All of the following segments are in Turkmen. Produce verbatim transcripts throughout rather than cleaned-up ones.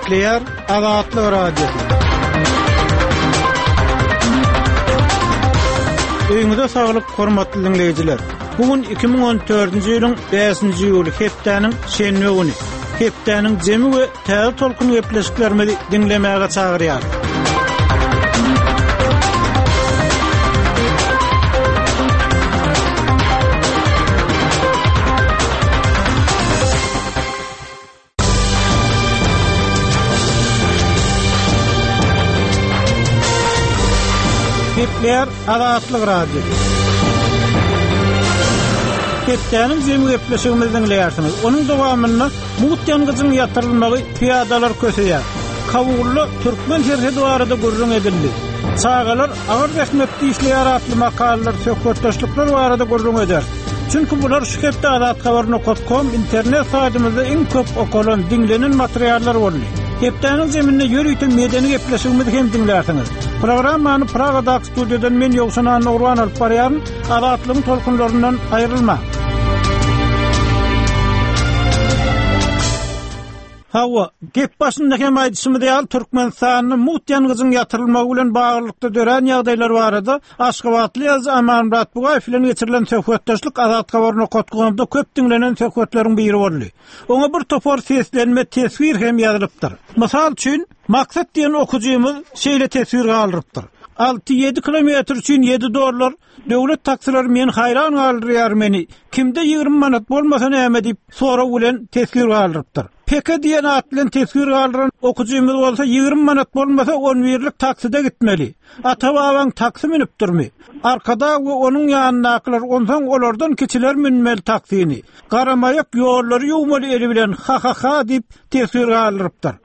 Gepleýär Azatlyk Radiosy. Öýüňize saglyk, hormatly diňleýjiler. Bu gün iki müň on dördünji ýylyň bäşinji iýuly hepdäniň şenbe güni. Hepdäniň jemi we täze tolkun gepleşiklerimizi diňlemäge çagyrýar. Gepleýär Azatlyk Radiosy. Hepdäniň jemi gepleşigimizi diňleýärsiňiz. Onuň dowamynda mugt ýangyjyň ýatyrylmagy pyýadalar köseýär. Kabulda türkmen serhedi barada gürrüň edildi. Çagalar agyr zähmetde işleýär atly makalalar, söhbetdeşlikler barada gürrüň eder. Çünki bular şu hepde azathabar nokta com internet saýtymyzda iň köp okalan, diňlenen materiallar boldy. Hepdäniň zeminde ýörite medeni gepleşigimizi hem diňlärsiňiz. Programmany Pragadaky studiýadan men Ýowşan Annagurban alyp barýaryn. Azatlygyň tolkunlaryndan aýrylma. Hawa, gep başynda hem aýdyşymyz ýaly Türkmenistanda mugt ýangyjyň ýatyrylmagy bilen baglylykda dörän ýagdaýlar barada Aşgabatly ýazyjy Amanmyrat Bugaýew bilen geçirilen söhbetdeşlik Azathabar nokta comda köp diňlenen söhbetleriň biri boldy. Oňa bir topar seslenme teswir hem ýazylypdyr. Mysal üçin, Maksat diýen okujymyz şeýle teswir galdyrypdyr. Alty ýedi kilometr üçin ýedi dollar döwlet taksileri men haýran galdyrýar meni. Kimde ýigrimi manat bolmasa näme diýip sorag bilen teswir galdyrypdyr. Peke diýen at bilen teswir galdyran okujymyz bolsa ýigrimi manat bolmasa on birlik takside gitmeli. Ata-babaň taksi münüpdirmi? Arkada we onuň ýanyndakylar onsoň olardan kiçiler münmeli taksini. Garamaýak ýollary ýuwmaly eli bilen ha ha ha diýip teswir galdyrypdyr.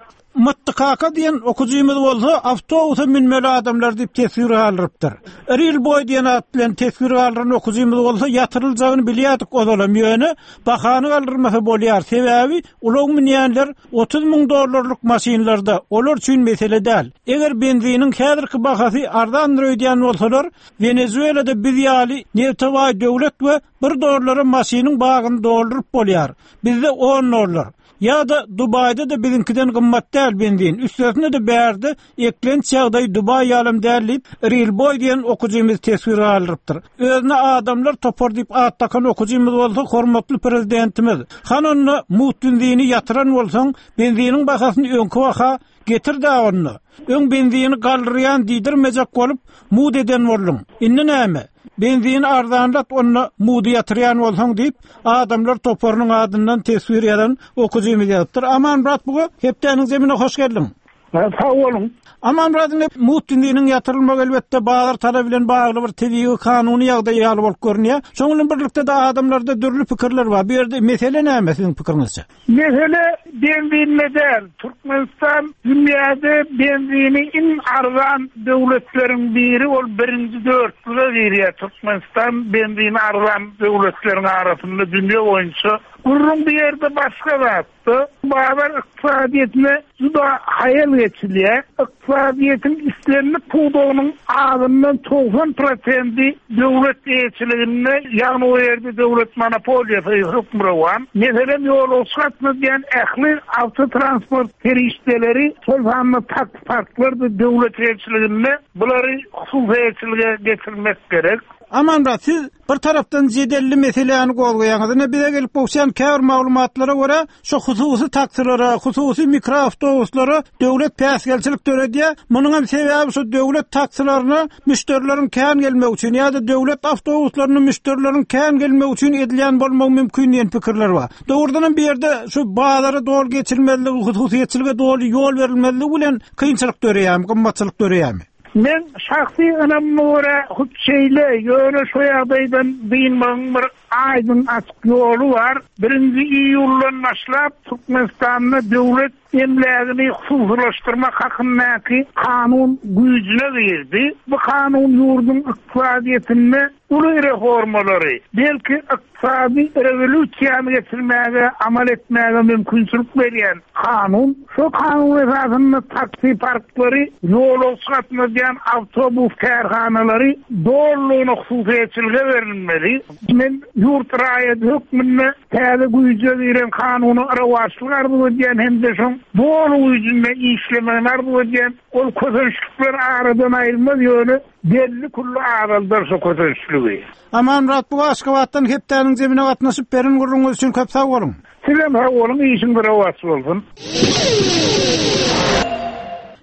Mutlu kaka diýen okujymyz bolsa awtobusa münmeli adamlar diýip teswir galdyrypdyr. Real boy diýen at bilen teswir galdyran okujymyz bolsa ýatyryljagyny bilýärdik ozalam ýöne bahany galdyrmasa bolýar. Sebäbi ulag münýänler otuz müň dollarlyk maşynlarda olar üçin mesele däl. Eger benziniň häzirki bahasy arzandyr öýdýän bolsalar, Venezuelada biz ýaly nefte baý döwlet we bir dollara maşynyň bagyny dolduryp bolýar. Bizde on dollar. Ya da Dubai'de de bizinkiden gymmat däl benzin. Üstesine de bärde eklenç ýagdaý Dubai ýalym däl diýip, Real Boy diýen okujymyz teswir galdyrypdyr. Özüne adamlar topar diýip at takan okujymyz bolsa hormatly prezidentimiz. Han onda mugt benzini ýatyran bolsaň, benziniň bahasyny öňki baha getir da onda. Öň benzini galdyrýan diýdirmejek bolup mud eden bolduň. Indi näme? Benzini arzanlat onda mudy ýatyrýan bolsaň diýip, adamlar toparynyň adyndan teswir ýazan okujymyz ýazypdyr. Amanmyrat buga hepdäniň zemine hoş geldiň. Ha, sag boluň. Amanmyradyň mugt benziniň ýatyrylmagy elbetde bazar talaby bilen bagly bir tebigy kanuny ýagdaý ýaly bolup görünýär. Şonuň bilen birlikde de adamlarda dürli pikirler bar. Bu ýerde mesele näme siziň pikiriňizçe? Mesele benzinde däl. Türkmenistan dünýäde benzini iň arzan döwletleriň biri, ol birinji dörtlüge girýär. Türkmenistan benzini arzan döwletleriň arasynda dünýä boýunça. Gürrüň bir ýerde başga zatda. Bazar ykdysadyýetine juda haýal geçilýär. Ykdysadyýetiň islendik pudagynyň azyndan togsan prosenti döwlet eýeçiliginde, ýagny o ýerde döwlet monopoliýasy hökmürowan. Meselem, ýolagçy gatnadýan ähli awtotransport serişdeleri, şol sanda taksi parklar da döwlet eýeçiliginde, bulary hususy eýeçilige getirmek gerek. Amanmyrat, siz bir tarapdan jedelli meseläni gozgaýaňyz. Ine bize gelip gowşan käbir maglumatlara görä, şu hususy taksilere, hususy mikroawtobuslara döwlet päsgelçilik döredýär. Munuň hem sebäbi şu döwlet taksilerine müşderileriň kän gelmegi üçin ýa-da döwlet awtobuslaryna müşderileriň kän gelmegi üçin edilýän bolmagy mümkin diýen pikirler bar. Dogrudan hem bir ýerde şu bazara doly geçilmezligi, hususyýetçilige doly ýol berilmezligi bilen kynçylyk döreýärmi, gymmatçylyk döreýärmi? Men şahsy ynamyma görä hut şeýle, ýöne şu ýagdaýdan dynmagyň bir aýdyň açyk ýoly bar. Birinji iýuldan başlap Türkmenistanda döwlet emlägini hususylaşdyrmak hakyndaky kanun güýjüne girdi. Bu kanun ýurduň ykdysadyýetinde uly reformalary, belki ykdysady rewolýusiýany geçirmäge, amal etmäge mümkinçilik berýän kanun. Şu kanun esasynda taksi parklary, ýolagçy gatnadýan awtobus kärhanalary dolulygyna hususyýetçilige berilmeli. Men ýurt raýaty hökmünde täze güýje giren kanuna rowaçlyk arzuw edýän hem-de şoň doly güýjünde işlemegini arzuw edýän. Ol kösençlikler aradan aýrylmaz, ýöne belli külli azaldar şo kösençligi. Amanmyrat Bugaý Aşgabatdan hepdäniň zemine gatnaşyp beren gürrüňiňiz üçin köp sag boluň. Sizem sag boluň, işiňiz rowaç bolsun.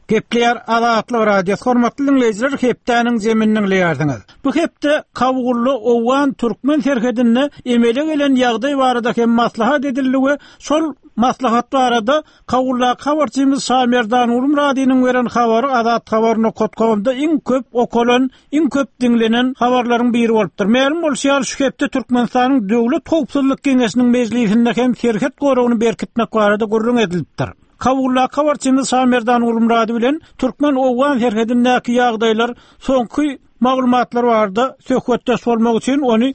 Gepleýär Azatlyk Radiosy. Hormatly dinleýjiler, hepdäniň zeminini diňleýärsiňiz. Bu hepde Kabulda Owgan Türkmen serhedinde emele gelen ýagdaý barada hem maslahat edildi we şol maslahat barada Kabulda habarçymyz Şamerdan Ulumradynyň beren habary Azat Habar nokta comda iň köp okalan, iň köp diňlenen habarlaryň biri bolupdyr. Mälim bolşy ýaly, şu hepde Türkmenistanyň Döwlet Howpsuzlyk Geňeşiniň mejlisinde hem serhet goragyny berkitmek barada gürrüň edilipdir. Kabulda habarçymyz Şamerdan Ulumrady bilen Türkmen Owgan serhedindäki ýagdaýlar soňky maglumatlar barada söhbetdeş bolmak üçin ony